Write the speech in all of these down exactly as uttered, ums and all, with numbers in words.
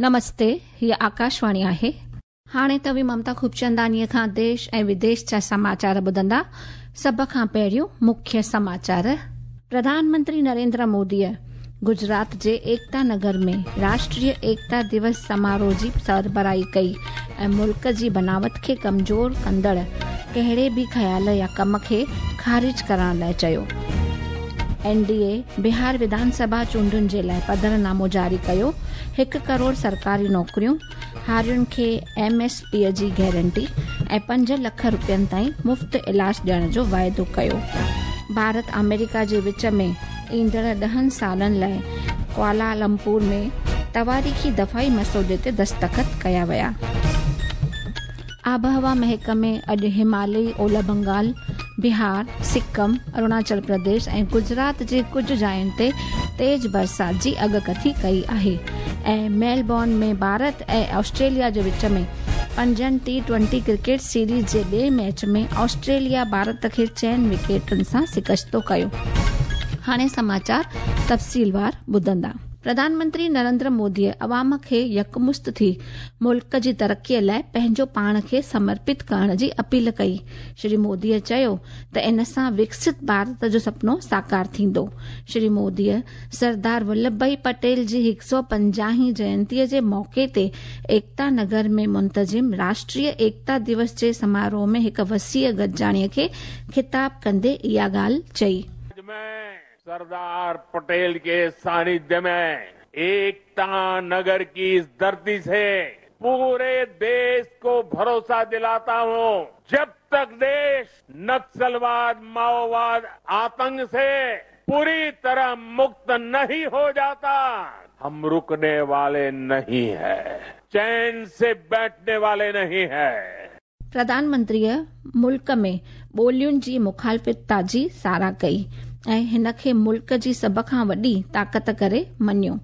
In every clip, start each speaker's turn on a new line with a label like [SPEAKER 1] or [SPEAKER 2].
[SPEAKER 1] नमस्ते, हीअ आकाशवाणी आहे। हाणे तव्हीं ममता खूबचंदानीअ खां देश ऐं विदेश जा समाचार ॿुधंदा। सभ खां पहिरियों मुख्य समाचार। प्रधानमंत्री नरेंद्र मोदीअ गुजरात जे एकता नगर में राष्ट्रीय एकता दिवस समारोह जी सरबराही कई ऐं मुल्क जी बनावट खे कमज़ोर कंदड़ कहिड़े बि ख़्याल या कम खे ख़ारिज करण लाइ चयो। एनडीए बिहार विधानसभा चूंडुनि जे लाइ पधरनामो जारी कयो। हिकु करोड़ सरकारी नौकरियूं, हारियुनि खे एमएसपी जी गारंटी ऐं पंज लख रुपयनि ताईं मुफ़्त इलाज ॾियण जो वाइदो कयो। भारत अमेरिका जे विच में ईंदड़ ॾहनि सालनि लाइ कुआलालंपुर में तवारीख़ी दफ़ाई मसौदे ते दस्तख़त कया विया। आबहवा महकमे अॼु हिमालयी ओलह बंगाल, बिहार, सिक्किम, अरुणाचल प्रदेश ऐं गुजरात जे कुझु जायुनि ते तेज़ बरसाति जी अॻकथी कई आहे। ऐं मेलबॉर्न में भारत ऐं ऑस्ट्रेलिया जे विच में पंजनि टी ट्वेंटी क्रिकेट सीरीज़ जे ॿिए मैच में ऑस्ट्रेलिया भारत खे चइनि विकेटुनि सां शिकस्तो कयो। हाणे समाचार तफ़सीलवार ॿुधंदा। प्रधानमंत्री नरेंद्र मोदीअ अवाम खे यकमुश्त थी मुल्क जी तरक़ीअ लाइ पंहिंजो पाण खे समर्पित करण जी अपील कई। श्री मोदीअ चयो त इन सां विकसित भारत जो सपनो साकार थींदो। श्री मोदीअ सरदार वल्लभ भाई पटेल जी हिकु सौ पंजाहीं जयंतीअ जे मौक़े ते एकता नगर में मुंतज़िम राष्ट्रीय एकता दिवस जे समारोह में हिकु वसीअ गॾिजाणीअ खे ख़िताब कंदे इहा ॻाल्हि चई।
[SPEAKER 2] सरदार पटेल के सानिध्य में एकता नगर की इस धरती से पूरे देश को भरोसा दिलाता हूं, जब तक देश नक्सलवाद, माओवाद, आतंक से पूरी तरह मुक्त नहीं हो जाता, हम रुकने वाले नहीं है, चैन से बैठने वाले नहीं है।
[SPEAKER 1] प्रधानमंत्रीअ मुल्क में ॿोलियुनि जी मुखालिफ़त जी साराह कई ऐं हिन खे मुल्क जी सभ खां वॾी ताक़त करे मञियो।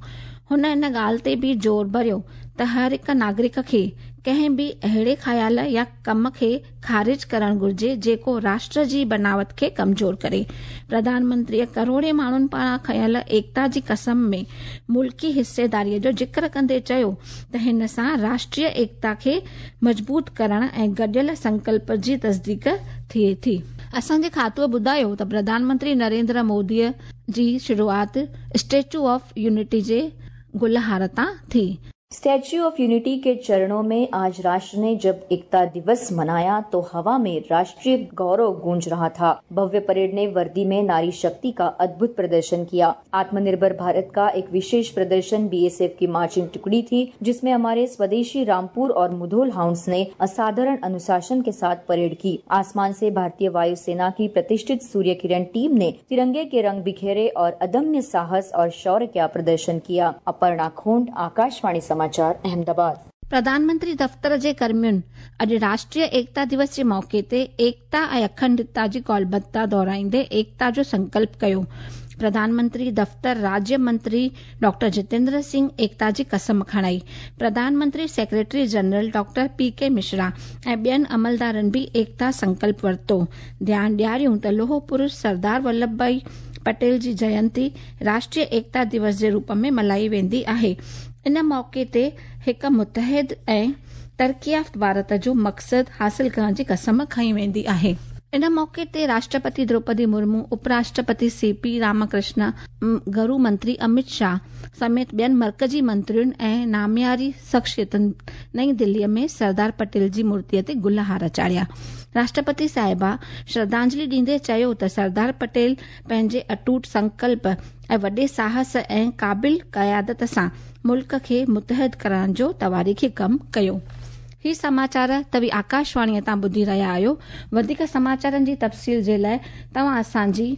[SPEAKER 1] हुन इन ॻाल्हि ते बि ज़ोर भरियो त हर हिकु नागरिक खे कंहिं बि अहिड़े ख़्याल या कम खे ख़ारिज करणु घुरिजे जेको राष्ट्र जी बनावट खे कमज़ोर करे। प्रधानमंत्रीअ करोड़े माण्हुनि पारां खयलु एकता जी कसम में मुल्की हिस्सेदारीअ जो ज़िक्र कंदे चयो त हिन सां राष्ट्रीय एकता खे मज़बूत करण ऐं गॾियल संकल्प जी तस्दीक थिए थी। असांजे खातूअ ॿुधायो त प्रधानमंत्री नरेंद्र मोदीअ जी शुरूआत स्टैचू ऑफ यूनिटी जे गुलहार तां थी।
[SPEAKER 3] स्टैच्यू ऑफ यूनिटी के चरणों में आज राष्ट्र ने जब एकता दिवस मनाया तो हवा में राष्ट्रीय गौरव गूंज रहा था। भव्य परेड ने वर्दी में नारी शक्ति का अद्भुत प्रदर्शन किया। आत्मनिर्भर भारत का एक विशेष प्रदर्शन बीएसएफ की मार्चिंग टुकड़ी थी, जिसमें हमारे स्वदेशी रामपुर और मुधोल हाउंड्स ने असाधारण अनुशासन के साथ परेड की। आसमान से भारतीय वायुसेना की प्रतिष्ठित सूर्य किरण टीम ने तिरंगे के रंग बिखेरे और अदम्य साहस और शौर्य का प्रदर्शन किया। अपर्णा खोंड, आकाशवाणी समाचार, अहमदाबाद।
[SPEAKER 1] प्रधानमंत्री दफ़्तर जे कर्मियुनि अॼु राष्ट्रीय एकता दिवस जे मौक़े ते एकता ऐं अखंडता जी कौलबद्धता दोहराईंदे एकता जो संकल्प कयो। प्रधानमंत्री दफ़्तर राज्य मंत्री डॉक्टर जितेंद्र सिंह एकता जी कसम खणाई। प्रधानमंत्री secretary general doctor P K Mishra ऐं ॿियनि अमलदारनि बि एकता संकल्प वरितो। ध्यानु ॾियारियूं त लोह पुरुष सरदार वल्लभ भाई पटेल जी जयंती राष्ट्रीय एकता दिवस जे रूप में मल्हाई वेंदी आहे। इन मौक़े ते हिकु मुतहद ऐं तरक़ी याफ़्त भारत जो मक़सदु हासिल करण जी कसम खई वेंदी आहे। इन मौक़े ते राष्ट्रपति द्रौपदी मुर्मू, उपराष्ट्रपति सी पी रामकृष्ण, गृह मंत्री अमित शाह समेत ॿियनि मर्कज़ी मंत्रियुनि ऐं नामियारी शख़्सियतुनि नई दिल्लीअ में सरदार पटेल जी मूर्तीअ ते गुलहार चाढ़िया। राष्ट्रपति साहिबा श्रद्धांजलि ॾींदे चयो त सरदार पटेल पंहिंजे अटूट संकल्प ऐं वॾे साहस ऐं क़ाबिल क़यादत सां मुल्क खे मुतहद करण जो तवारीख़ी कमु कयो। ही समाचार तव्हीं आकाशवाणीअ तां ॿुधी रहिया आहियो। वधीक समाचारनि जी तफ़सील जे लाइ तव्हां असांजी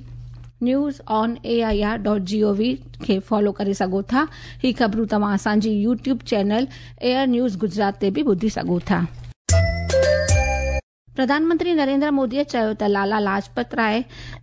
[SPEAKER 1] news on A I R dot G O V खे फॉलो करे सघो था। ही ख़बरूं तव्हां असांजी YouTube channel air news Gujarat ते बि ॿुधी सघो था। प्रधानमंत्री नरेंद्र मोदीअ चयो त लाला लाजपत राय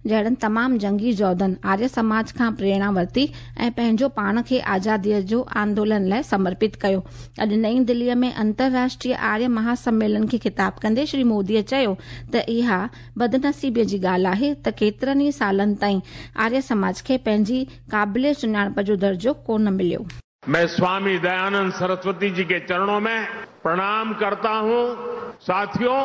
[SPEAKER 1] जहिड़नि तमामु जंगी जोधनि आर्य समाज खां प्रेरणा वरिती ऐं पंहिंजो पाण खे आज़ादीअ जो आंदोलन लाइ समर्पित कयो। अॼु नई दिल्लीअ में अंतर्राष्ट्रीय आर्य महासम्मेलन खे ख़िताब कंदे श्री मोदीअ चयो त इहा बदनसीबीअ जी ॻाल्हि आहे त केतिरनि ई सालनि ताईं आर्य समाज खे पंहिंजी क़ाबिल सुञाणप जो दर्जो कोन मिलियो।
[SPEAKER 2] मैं स्वामी दयानंद सरस्वती जी के चरणों में प्रणाम करता हूं। साथियों,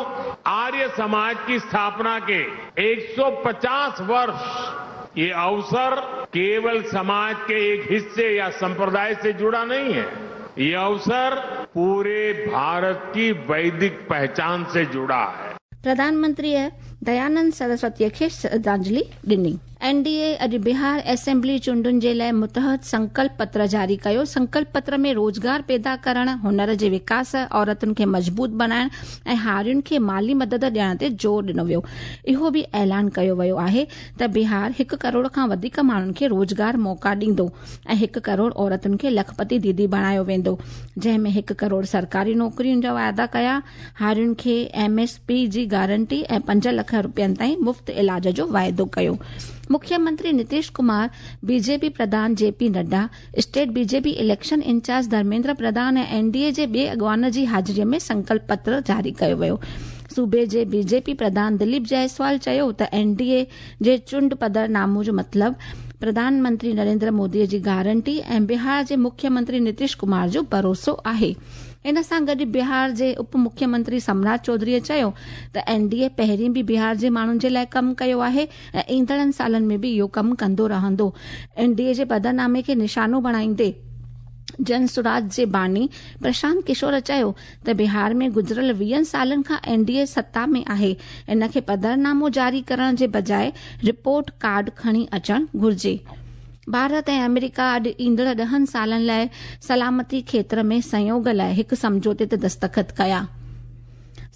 [SPEAKER 2] आर्य समाज की स्थापना के एक सौ पचास वर्ष ये अवसर केवल समाज के एक हिस्से या संप्रदाय से जुड़ा नहीं है। ये अवसर पूरे भारत की वैदिक पहचान से जुड़ा है।
[SPEAKER 1] प्रधानमंत्रीअ दयानंद सरस्वतीअ खे श्रद्धांजलि ॾिनी। एनडीए अॼु बिहार असेंबली चूंडुनि जे लाइ मुतहद संकल्प पत्र जारी कयो। संकल्प पत्र में रोज़गार पैदा करण, हुनर जे विकास, औरतुनि खे मज़बूत बणाइण ऐं हारियुनि खे माली मदद ॾियण ते ज़ोर ॾिनो वियो। इहो बि ऐलान कयो वियो आहे त बिहार हिकु करोड़ खां वधीक माण्हुनि खे रोज़गार मौक़ा ॾींदो ऐं हिकु करोड़ औरतुनि खे लखपति दीदी बणायो वेंदो, जंहिं में हिकु करोड़ सरकारी नौकरियुनि जा वाइदा कया, हारियुनि खे एमएसपी जी गारंटी ऐं पंज लख रुपयनि ताईं मुफ़्त इलाज जो वाइदो कयो। मुख्यमंत्री नीतीश कुमार, बीजेपी प्रधान JP Nadda, state BJP election incharge Dharmendra Pradhan ऐं एनडीए जे ॿिए अॻवान जी हाज़िरीअ में संकल्प पत्र जारी कयो वियो। सूबे जे बीजेपी प्रधान दिलीप जायसवाल चयो त एनडीए जे चूंड पधरनामो जो मतिलबु प्रधानमंत्री नरेंद्र मोदीअ जी गारंटी ऐं बिहार जे मुख्यमंत्री नीतीश कुमार जो भरोसो आहे। इन सां गॾु बिहार जे उप मुख्यमंत्री सम्राट चौधरीअ चयो त एनडीए पहिरीं बि बिहार जे माण्हुनि जे लाइ कमु कयो आहे ऐं ईंदड़नि सालनि में बि इहो कमु कंदो रहंदो। एनडीए जे पधरनामे खे निशानो बणाईंदे जन सुराज जे बानी प्रशांत किशोर चयो त बिहार में गुज़िरियल वीहनि सालनि खां एनडीए सत्ता में आहे, इन खे पधरनामो जारी करण जे बजाए रिपोर्ट कार्ड खणी अचणु घुर्जे। भारत ऐं अमेरिका अॼु ईंदड़ ॾहनि सालनि लाइ सलामती क्षेत्र में सहयोग लाइ हिकु सम्झौते ते दस्तख़त कया।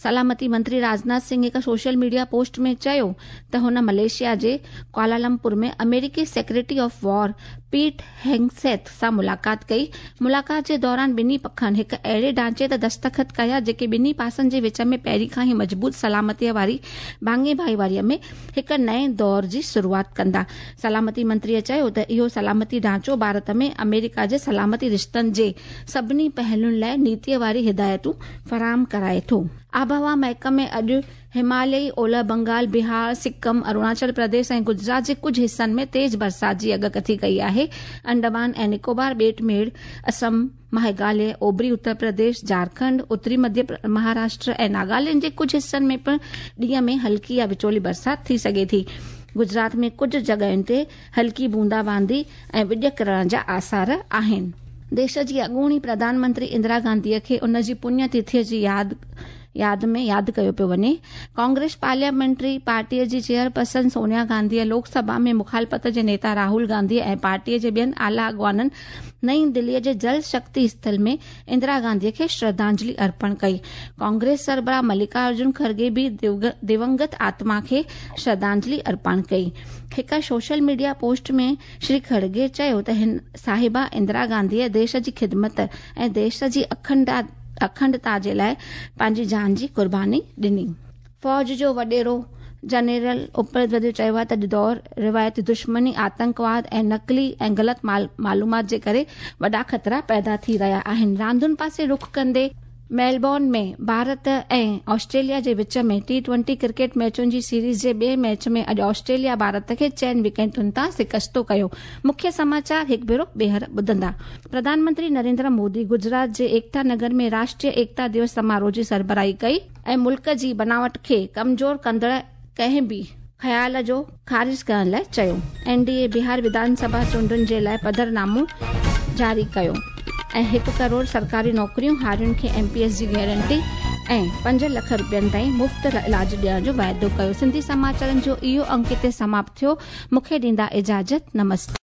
[SPEAKER 1] सलामती मंत्री राजनाथ सिंह हिकु सोशल मीडिया पोस्ट में चयो त हुन मलेशिया जे कुआलालंपुर में अमेरिकी secretary of war Pete Hegseth सां मुलाक़ात कई। मुलाक़ात जे दौरान ॿिन्ही पखनि हिकु अहिड़े ढांचे ते दस्तख़त कया जेके ॿिन्ही पासनि जे विच में पहिरीं खां ई मज़बूत सलामतीअ वारी भाङे भाईवारीअ में हिकु नए दौर जी शुरूआत कंदा। सलामती मंत्रीअ चयो त इहो सलामती ढांचो भारत में अमेरिका जे सलामती रिश्तनि जे सभिनी पहलुनि लाइ नीतीअ वारी हिदायतूं फराहम कराए थो। आबहवा महकमे अॼु हिमालयी ओलह बंगाल, बिहार, सिक्किम, अरुणाचल प्रदेश ऐं गुजरात जे कुझु हिसनि में तेज़ बरसाति जी अॻकथी कई आहे। अंडमान ऐं निकोबार ॿेट मेड़, असम, मेघालय, ओभरी उत्तर प्रदेश, झारखंड, उत्तरी मध्य महाराष्ट्र ऐं नागालैंड जे कुझु हिसनि में पिणु ॾींहं में हल्की या विचोली बरसाति थी सघे थी। गुजरात में कुझु जॻहियुनि ते हल्की बूंदाबांदी ऐं विॼ किरण जा आसार आहिनि। देश जी अॻूणी प्रधानमंत्री इंदिरा गांधीअ खे उन जी पुण्यतिथिअ जी यादि याद में यादि कयो पियो वञे। कांग्रेस पार्लियामेंट्री पार्टीअ जी चेयरपर्सन सोनिया गांधीअ लोकसभा में मुखालफ़त जे नेता राहुल गांधी ऐं पार्टीअ जे ॿियनि आला अॻवाननि नई दिल्लीअ जे जल शक्ति स्थल में इंदिरा गांधीअ खे श्रद्धांजलि अर्पण कई। कांग्रेस सरबराह मल्लिकार्जुन खड़गे बि दिवंगत आत्मा खे श्रद्धांजलि अर्पण कई। हिकु सोशल मीडिया पोस्ट में श्री खड़गे चयो त हिन साहिबा इंदिरा गांधीअ देश जी ख़िदमत ऐं देश जी अखंडा अखंडता जे लाइ पंहिंजी जान जी क़ुर्बानी ॾिनी। फ़ौज जो वॾेरो जनरल उपेंद्र द्विवेदी चयो आहे त दौर रिवायती दुश्मनी, आतंकवाद ऐं नक़ली ऐं ग़लति मालूमात जे करे वॾा ख़तरा पैदा थी रहिया आहिनि। रांदुनि पासे रुख कंदे मेलबॉर्न में भारत ऐं ऑस्ट्रेलिया जे विच में टी ट्वेंटी क्रिकेट मैचुनि जी सीरीज़ जे ॿिए मैच में अॼु ऑस्ट्रेलिया भारत खे चइनि विकेटुनि तां शिकस्तो कयो। मुख्य समाचार हिकु भेरो ॿीहर ॿुधंदा। प्रधानमंत्री नरेंद्र मोदी गुजरात जे एकता नगर में राष्ट्रीय एकता दिवस समारोह जी सरबराही कई ऐं मुल्क जी बनावट खे कमज़ोर कंदड़ कंहिं बि ख़्याल जो ख़ारिज करण लाइ चयो। एनडीए बिहार विधानसभा चूंडुनि जे लाइ पधरनामो जारी कयो ऐं हिकु करोड़ सरकारी नौकरियूं, हारियुनि खे एमपीएस जी गारंटी ऐं पंज लख रुपयनि ताईं मुफ़्त इलाज ॾियण जो वाइदो कयो। सिंधी समाचारनि जो इहो अंक हिते समाप्त थियो। मूंखे ॾींदा इजाज़त। नमस्ते।